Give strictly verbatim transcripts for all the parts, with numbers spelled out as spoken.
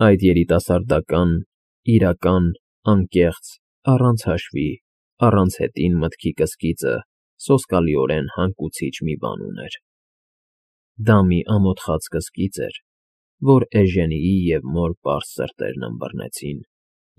Այդ երիտասարդական, իրական, անկեղծ, առանց հաշվի, առանց հետին մտքի կսկիծը սոսկալիորեն հանգուցիչ մի բան ուներ. դա մի ամոթխած կսկիծ էր, որ Էժենիի և մոր պարզ սրտերն ըմբռնեցին,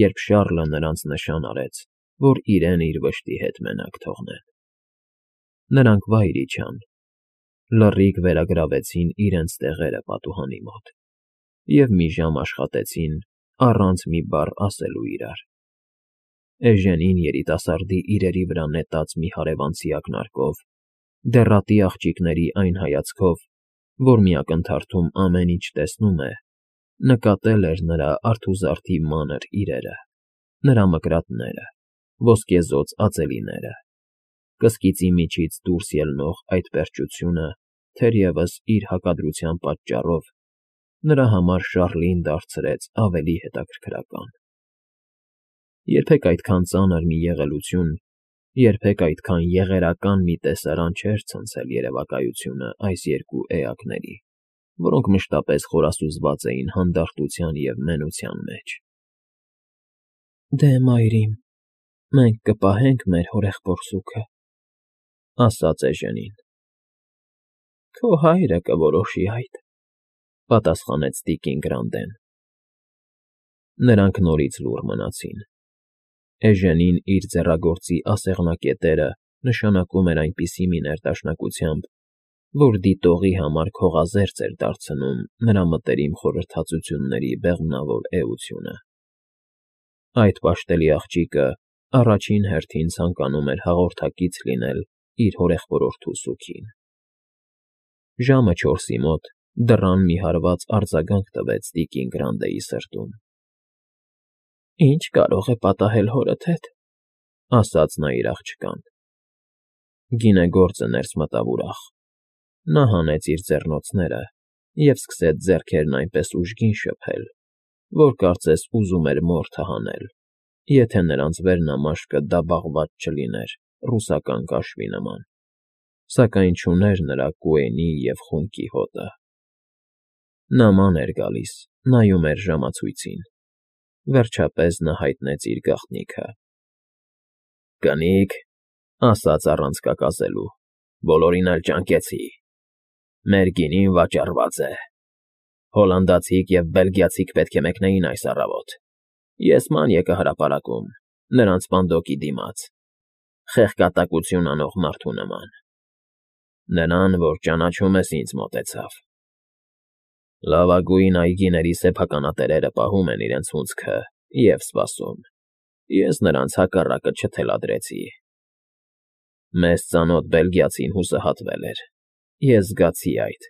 երբ Շառլը նրանց նշան արեց, որ իրեն իր վշտի հետ մենակ թողնեն. նրանք վայր իջան, լռիկ վերագրավեցին իրենց տեղերը պատուհանի մոտ և մի ժամ աշխատեցին առանց մի բառ ասելու իրար. Էժենին երիտասարդի իրերի վրա նետած մի հարևանցի ակնարկով, դեռատի աղջիկների այն հայացքով, որ մի ակնթարթում ամեն ինչ տեսնում է, նկատել էր նրա արթուզարդի մանր իրերը, նրա մկրատները, ոսկեզօծ ածելիները, կսկիծի միջից դուրս ելնող այդ պերճությունը, թերևս իր հակադրության պատճառով, նրա համար Շառլին դարձրեց ավելի հետաքրքրական. երբեք այդքան ծանր մի եղելություն, երբեք այդքան եղերական մի տեսարան չէր ցնցել երևակայությունը այս երկու էակների, որոնք մշտապես խորասուզված էին հանդարտության և մենության մեջ։ ֊ Դե, մայրիկ, մենք կպահենք մեր հորեղբորսուքը,֊ ասաց Էժենին։ ֊ Քո հայրը կորոշի այդ,֊ պատասխանեց տիկին Գրանդեն։ Նրանք նորից լուռ մնացին։ Էժենին իր ձեռագործի ասեղնակետերը նշանակում էր այնպիսի մի ներդաշնակությամբ, որ դիտողի համար քողազերծ էր դարձնում նրա մտերիմ խորհրդածությունների բեղմնավոր էությունը։ Այդ պաշտելի աղջիկը առաջին հերթին ցանկանում էր հաղորդակից լինել իր հորեղբորորդու սուգին։ Ժամը չորսի մոտ դռան մի հարված արձագանք տվեց տիկին Գրանդեի սրտում։ ֊ Ի՞նչ կարող է պատահել հորդ հետ,֊ ասաց նա իր աղջկան։ Գինեգործը ներս մտավ ուրախ։ Նա հանեց իր ձեռնոցները և սկսեց ձեռքերն այնպես ուժգին շփել, որ կարծես ուզում էր մորթը հանել, եթե նրանց վերնամաշկը դաբաղված չլիներ ռուսական կաշվի նման, սակայն չուներ նրա Կուենի և խունկի հոտը։ Նա ման էր գալիս, նայում էր ժամացույցին, վերջապես նա հայտնեց իր գաղտնիքը։ ֊ Կնիկ,֊ ասաց առանց կակասելու,֊ բոլորին էլ ճանկեցի։ Մեր գինին վաճառված է։ Հոլանդացիք և բելգիացիք պետք է մեկնեին այս առավոտ։ Ես ման եկա հրապարակում, նրանց պանդոկի դիմաց, խեղկատակություն անող մարդու նման։ Նրան, որ ճանաչում ես, ինձ մոտեցավ։ Լավագույն այգիների սեփականատերերը պահում են իրենց հունձքը և սպասում, ես նրանց հակառակը չթելադրեցի։ Մեզ ծանոթ բելգիացին հուսահատվել էր, ես զգացի այդ,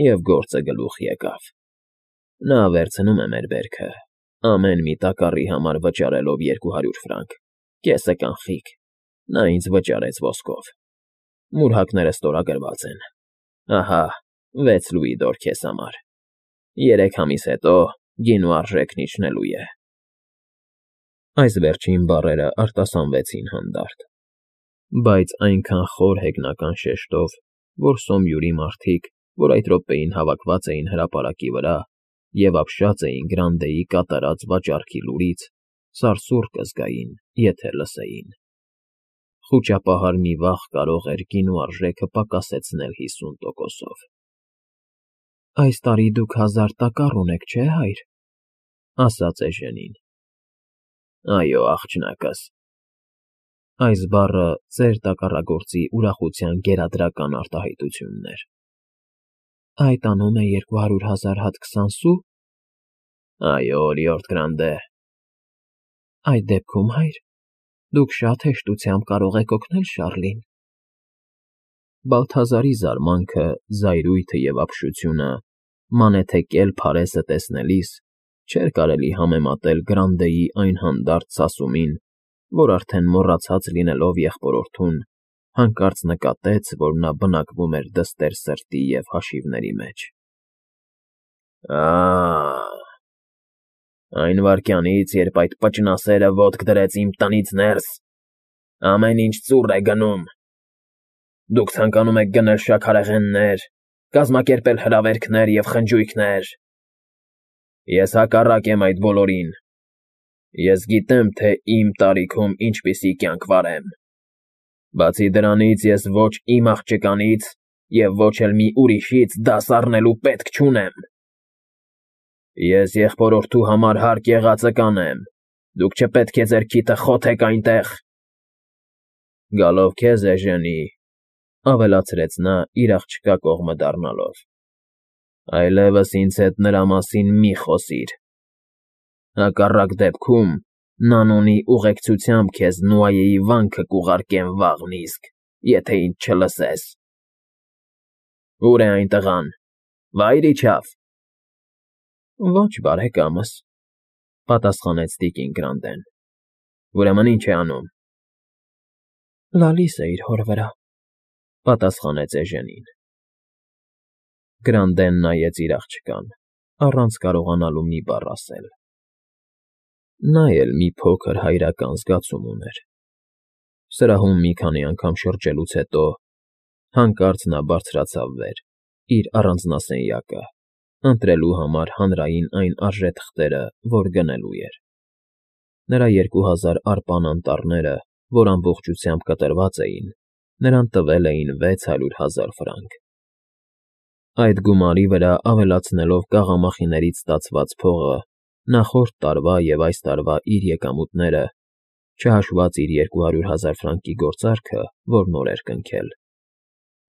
և գործը գլուխ եկավ։ Նա վերցնում է մեր բերքը, ամեն մի տակառի համար վճարելով երկու հարյուր ֆրանկ, կեսը կանխիկ, նա ինձ վճարեց ոսկով։ Մուրհակները ստորագրված են։ Ահա, վեց լուիդոր քեզ համար։ Երեք ամիս հետո գինու արժեքն իջնելու է։ Այս վերջին բառերը արտասանվեցին հանդարտ, բայց այնքան խոր հեգնական շեշտով, որ Սոմյուրի մարդիկ, որ այդ րոպեին հավաքված էին հրապարակի վրա և ապշած էին Գրանդեի կատարած վաճառքի լուրից, սարսուռ կզգային, եթե լսեին։ Խուճապահար մի վախ կարող էր գինու արժեքը պակասեցնել հիսուն տոկոսով։ ֊ Այս տարի դուք հազար տակառ ունեք, չէ՞, հայր,֊ ասաց Էժենին։ ֊ Այո, աղջնակս։ Այս բառը ծեր տակառագործի ուրախության գերադրական արտահայտությունն էր։ ֊ Այդ անում է երկու հարյուր հազար հատ քսան սու։ ֊ Այո, լիորդ Գրանդե։ ֊ Այդ դեպքում, հայր, դուք շատ հեշտությամբ կարող եք օգնել Շառլին։ Բալթազարի զարմանքը, զայրույթը և ապշությունը, մանեթեկել Փարեսը տեսնելիս չէր կարելի համեմատել Գրանդեի այն հանդարտ սասումին, որ արդեն մոռացած լինելով եղբորորդուն, հանկարծ նկատեց, որ նա բնակվում էր դստեր սրտի և հաշիվների մեջ։ ֊ Ա՜, այն վայրկյանից, երբ այդ պճնասերը ոտք դրեց իմ տնից ներս, ամեն ինչ ծուռ է գնում։ Դուք ցանկանում եք գնել շաքարեղեններ, կազմակերպել հրավերքներ և խնջույքներ։ Ես հակառակ եմ այդ բոլորին։ Ես գիտեմ, թե իմ տարիքում ինչպիսի կյանք վարեմ։ Բացի դրանից ես ոչ իմ աղջկանից և ոչ էլ մի ուրիշից դաս առնելու պետք չունեմ։ Ես եղբորորդու համար հարկ եղածը կանեմ, դուք չպետք է ձեր քիթը խոթեք այնտեղ։ Գալով քեզ, Էժենի, ավելացրեց նա իր աղջկա կողմը դառնալով, այլևս ինձ հետ նրա մասին մի խոսիր։ Հակառակ դեպքում Նանոնի ուղեկցությամբ քեզ Նուայեի վանքը կուղարկեմ վաղն իսկ, եթե ինձ չլսես։ Ո՞ւր է այն տղան, վա՞յր իջավ։ Ոչ, բարեկամս, պատասխանեց տիկին Գրանդեն։ Ուրեմն ի՞նչ է անում։ Լալիս է իր հոր վրա, պատասխանեց Էժենին։ Գրանդեն նայեց իր աղջկան, առանց կարողանալու մի բառ ասել։ Նա էլ մի փոքր հայրական զգացում ուներ։ Սրահում մի քանի անգամ շրջելուց հետո հանկարծ նա բարձրացավ վեր, իր առանձնասենյակը, ընտրելու համար հանրային այն արժեթղթերը, որ գնելու էր։ Նրա երկու հազար արպան անտառները, որ ամբողջությամբ կտրված էին, նրան տվել էին վեց հարյուր հազար ֆրանկ։ Այդ գումարի վրա ավելացնելով կաղամախիներից ստացված փողը, նախորդ տարվա և այս տարվա իր եկամուտները, չհաշված իր երկու հարյուր հազար ֆրանկի գործարքը, որ նոր էր կնքել,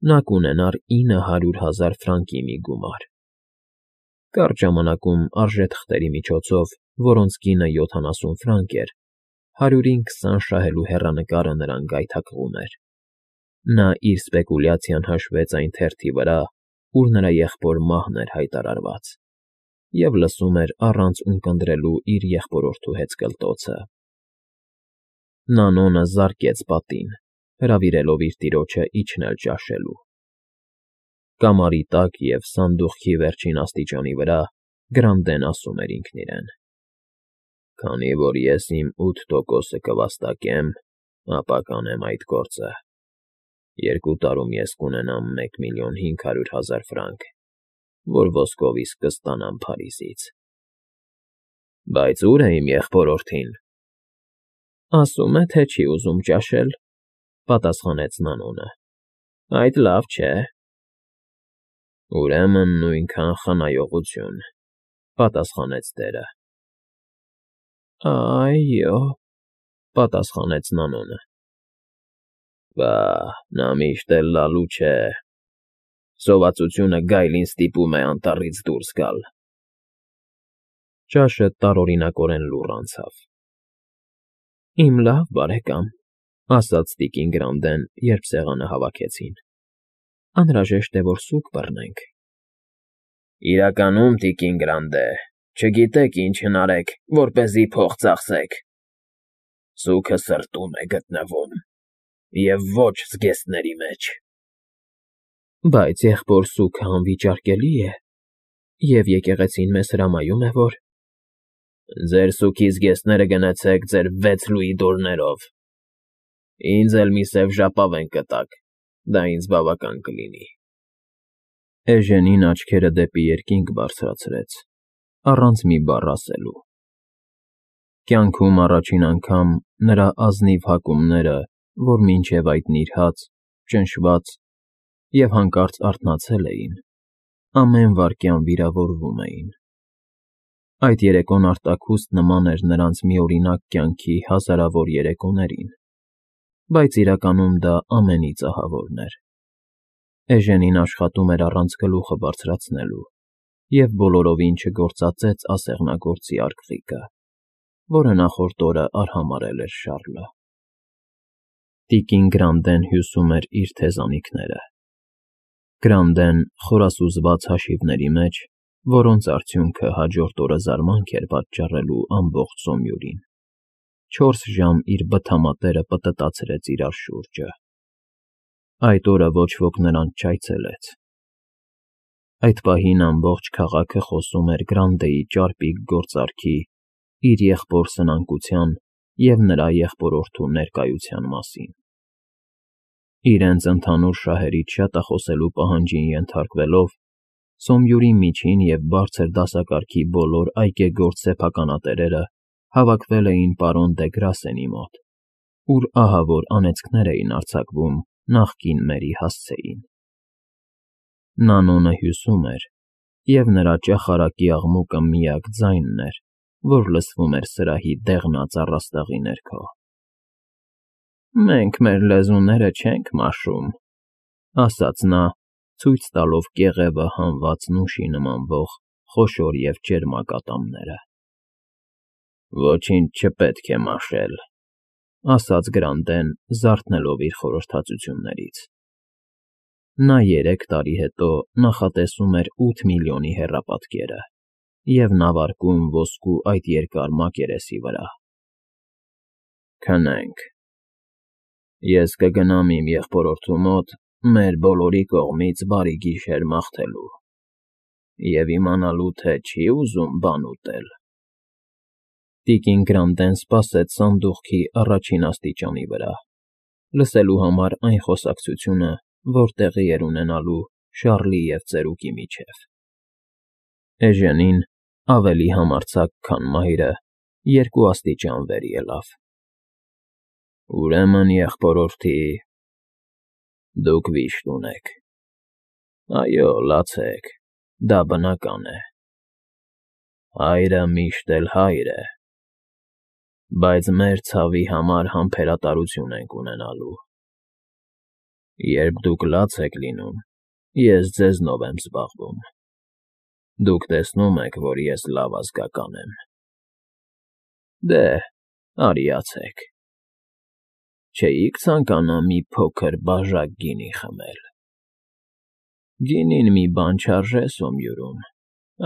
նա կունենար ինը հարյուր հազար ֆրանկի մի գումար։ Կարճ ժամանակում արժեթղթերի միջոցով, որոնց գինը յոթանասուն ֆրանկ էր, հարյուրին քսան շահելու հեռանկարը նրան գայթակղում էր։ Նա իր սպեկուլյացիան հաշվեց այն թերթի վրա, ուր նրա եղբոր մահն էր հայտարարված, և լսում էր առանց ունկնդրելու իր եղբորորդու հեծկլտոցը։ Նանոնը զարկեց պատին, հրավիրելով իր տիրոջը իջնել ճաշելու։ Կամարի տակ և սանդուղքի վերջին աստիճանի վրա Գրանդեն ասում էր ինքն իրեն. «Քանի որ ես իմ ութ տոկոսը կվաստակեմ, ապա կանեմ այդ գործը։ Երկու տարում ես կունենամ մեկ միլիոն հինգ հարյուր հազար ֆրանկ, որ ոսկով իսկ կստանամ Փարիզից»։ Բայց ո՞ւր է իմ եղբորորդին։ Ասում է, թե չի ուզում ճաշել, պատասխանեց Նանոնը։ Այդ լավ չէ։ Ուրեմն նույնքան խնայողություն, պատասխանեց տերը։ Այո, պատասխանեց Նանոնը։ Բա, նա միշտ էլ լալու չէ։ Սովածությունը գայլին ստիպում է անտառից դուրս գալ։ Ճաշը տարօրինակորեն լուռ անցավ։ Իմ լավ բարեկամ, ասաց տիկին Գրանդեն, երբ սեղանը հավաքեցին, անհրաժեշտ է, որ սուգ բռնենք։ Իրականում, տիկին Գրանդե, չգիտեք ինչ հնարեք, որպեսզի փող ծախսեք։ Սուգը սրտում է գտնվում, և ոչ զգեստների մեջ։ Բայց եղբոր սուգը անվիճարկելի է, և եկեղեցին մեզ հրամայում է, որ… Ձեր սուգի զգեստները գնացեք ձեր վեց լուիդորներով։ Ինձ էլ մի սև ժապավեն կտաք, դա ինձ բավական կլինի։ Էժենին աչքերը դեպի երկինք բարձրացրեց, առանց մի բառ ասելու։ Կյանքում առաջին անգամ նրա ազնիվ հակումները, որ մինչև այդ նիրհած, ճնշված և հանկարծ արթնացել էին, ամեն վայրկյան վիրավորվում էին։ Այդ երեկոն արտաքուստ նման էր նրանց միօրինակ կյանքի հազարավոր երեկոներին, բայց իրականում դա ամենից ահավորն էր։ Էժենին աշխատում էր առանց գլուխը բարձրացնելու և բոլորովին չգործածեց ասեղնագործի արկղիկը, որը նախորդ օրը արհամարհել էր Շառլը։ Տիկին Գրանդեն հյուսում էր իր թեզանիքները։ Գրանդեն խորասուզված հաշիվների մեջ, որոնց արդյունքը հաջորդ օրը զարմանք էր պատճառելու ամբողջ Սոմյուրին, չորս ժամ իր բթամատերը պտտացրեց իրար շուրջը։ Այդ օրը ոչ ոք նրան չայցելեց։ Այդ պահին ամբողջ քաղաքը խոսում էր Գրանդեի ճարպիկ գործարքի, իր եղբոր սնանկության և նրա եղբորորդու ներկայության մասին։ Իրենց ընդհանուր շահերից շատախոսելու պահանջին ենթարկվելով, Սոմյուրի միջին և բարձր դասակարգի բոլոր այկեգործ սեփականատերերը հավաքվել էին պարոն դե Գրասենի մոտ, ուր ահավոր անեծքներ էին արձակվում նախկին մերի հասցեին։ Նանոնը հյուսում էր, և նրա ճախարակի աղմուկը միակ ձայնն էր, որ լսվում էր սրահի դեղնած առաստաղի ներքո։ ֊ Մենք մեր լեզուները չենք մաշում,֊ ասաց նա, ցույց տալով կեղևը հանված նուշի նմանվող խոշոր և ճերմակ ատամները։ ֊ Ոչինչ չպետք է մաշել,֊ ասաց Գրանդեն, զարթնելով իր խորհրդածություններից։ Նա երեք տարի հետո նախատեսում էր ութ միլիոնի հեռապատկերը և նավարկում ոսկու այդ երկար մակերեսի վրա։ ֊ Քնենք, ես կգնամ իմ եղբորորդու մոտ մեր բոլորի կողմից բարի գիշեր մաղթելու և իմանալու, թե չի ուզում բան ուտել։ Տիկին Գրանդեն սպասեց սանդուղքի առաջին աստիճանի վրա, լսելու համար այն խոսակցությունը, որ տեղի էր ունենալու Շարլի և ծերուկի միջև։ Էժենին, ավելի համարձակ, քան մայրը, երկու աստիճան վեր ելավ։ ֊ Ուրեմն, եղբորորդի, դուք վիշտ ունեք… Այո, լացեք, դա բնական է… Հայրը միշտ էլ հայր է… Բայց մեր ցավի համար համբերատարություն ենք ունենալու… Երբ դուք լաց եք լինում, ես ձեզնով եմ զբաղվում… Դուք տեսնում եք, որ ես լավ ազգական եմ… Դե, արիացեք… Չէի՞ք ցանկանա մի փոքր բաժակ գինի խմել… Գինին մի բան չարժե Սոմյուրում,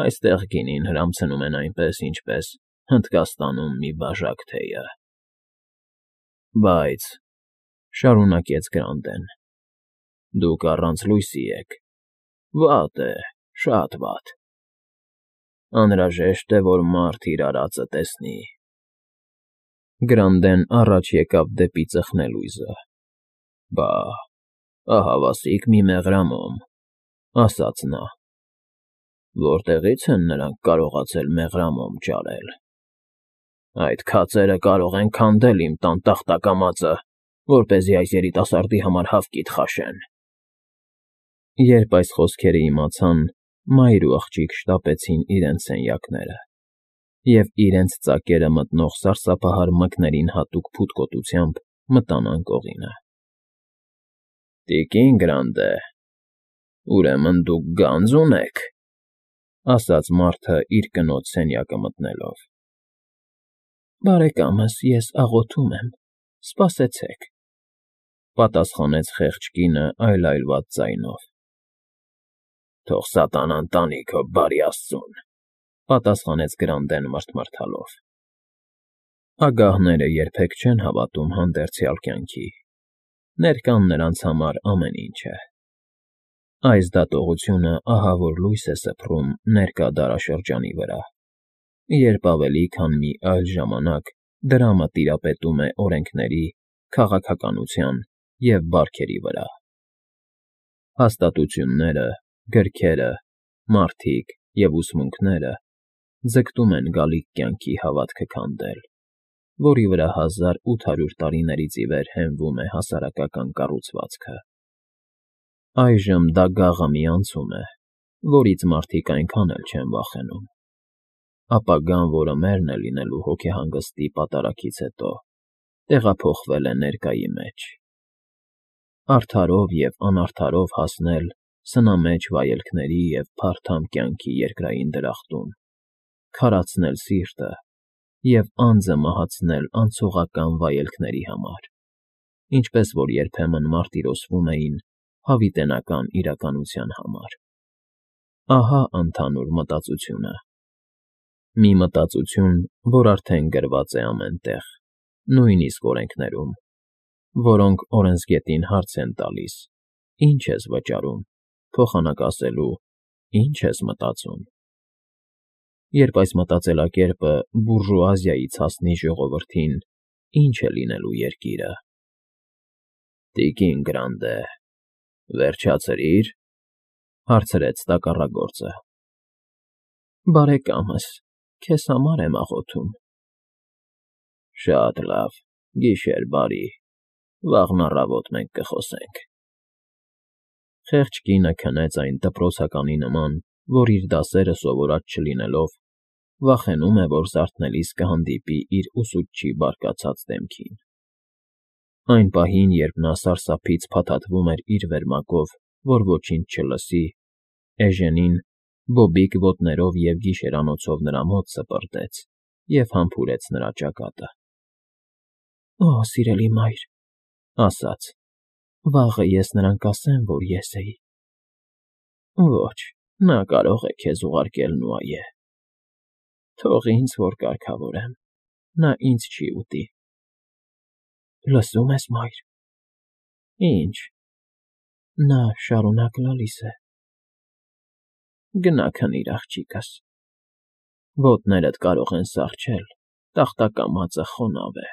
այստեղ գինին հրամցնում են այնպես, ինչպես Հնդկաստանում մի բաժակ թեյը… Բայց,֊ շարունակեց Գրանդեն,֊ դուք առանց լույսի եք… Վատ է, շատ վատ… Անհրաժեշտ է, որ մարդ իր արածը տեսնի… Գրանդեն առաջ եկավ դեպի ծխնելույզը։ ֊ Բա, ահավասիկ մի մեղրամոմ,֊ ասաց նա։ ֊ Որտեղի՞ց են նրանք կարողացել մեղրամոմ ճարել… Այդ քացերը կարող են քանդել իմ տան տախտակամածը, որպեսզի այս երիտասարդի համար հավկիթ խաշեն… Երբ այս խոսքերը իմացան, մայր ու աղջիկ շտապեցին իրենց սենյակները և իրենց ծակերը մտնող սարսափահար մկներին հատուկ փութկոտությամբ մտան անկողինը։ ֊ Տիկին Գրանդե, ուրեմն դուք գանձ ունեք,֊ ասաց մարդը իր կնոջ սենյակը մտնելով։ ֊ Բարեկամս, ես աղոթում եմ, սպասեցեք,֊ պատասխանեց խեղճ կինը այլայլված ձայնով։ ֊ Թող սատանան տանի քո բարի աստծուն,֊ պատասխանեց Գրանդեն մռթմռթալով։ Ագահները երբեք չեն հավատում հանդերձյալ կյանքի, ներկան նրանց համար ամեն ինչ է… Այս դատողությունը ահավոր լույս է սփռում ներկա դարաշրջանի վրա, երբ ավելի քան մի այլ ժամանակ դրամը տիրապետում է օրենքների, քաղաքականության և բարքերի վրա։ Հաստատությունները, գրքերը, մարդիկ և ուսմունքները ձգտում են գալիք կյանքի հավատքը քանդել, որի վրա հազար ութ հարյուր տարիներից ի վեր հենվում է հասարակական կառուցվածքը։ Այժմ դա գաղը մի անցում է, որից մարդիկ այնքան էլ չեն վախենում։ Ապագան, որը մերն է լինելու հոգեհանգստի պատարագից հետո, տեղափոխվել է ներկայի մեջ։ Արդարով և անարդարով հասնել սնամեջ վայելքների և փարթամ կյանքի երկրային դրախտում, քարացնել սիրտը և անձը մահացնել անցողական վայելքների համար, ինչպես որ երբեմն մարտիրոսվում էին հավիտենական իրականության համար… Ահա ընդհանուր մտածությունը… Մի մտածություն, որ արդեն գրված է ամեն տեղ, նույնիսկ օրենքներում, որոնք օրենսգետին հարց են տալիս. «Ի՞նչ ես վճարում», փոխանակ ասելու. «Ի՞նչ ես մտածում»։ Երբ այս մտածելակերպը բուրժուազիայից հասնի ժողովրդին, ի՞նչ է լինելու երկիրը։ ֊ Տիկին Գրանդե, վերջացրի՞ր,֊ Հարցրեց տակառագործը։ Բարեկամս, քեզ համար եմ աղոթում։ Շատ լավ, գիշեր բարի, վաղն առավոտ մենք կխոսենք։ Խեղճ կինը քնեց այն դպրոցականի նման, որ իր դասերը սովորած չլինելով, վախենում է, որ զարթնելիս կհանդիպի իր ուսուցչի բարկացած դեմքին։ Այն պահին, երբ նա սարսափից փաթաթվում էր իր վերմակով, որ ոչինչ չլսի, Էժենին բոբիկ ոտներով և գիշերանոցով նրա մոտ սպրտեց և համբուրեց նրա ճակատը։ ֊ Օ, սիրելի մայր,֊ ասաց,֊ վաղը ես նրան կասեմ, որ ես էի։ ֊ Ոչ, նա կարող է քեզ ուղարկել Նուայե։ ֊ Թող ինձ, որ կարգավորեմ, նա ինձ չի ուտի։ ֊ Լսո՞ւմ ես, մայր։ ֊ Ի՞նչ։ ֊ Նա շարունակ լալիս է։ ֊ Գնա քնիր, աղջիկս, ոտներդ կարող են սառչել, տախտակամածը խոնավ է։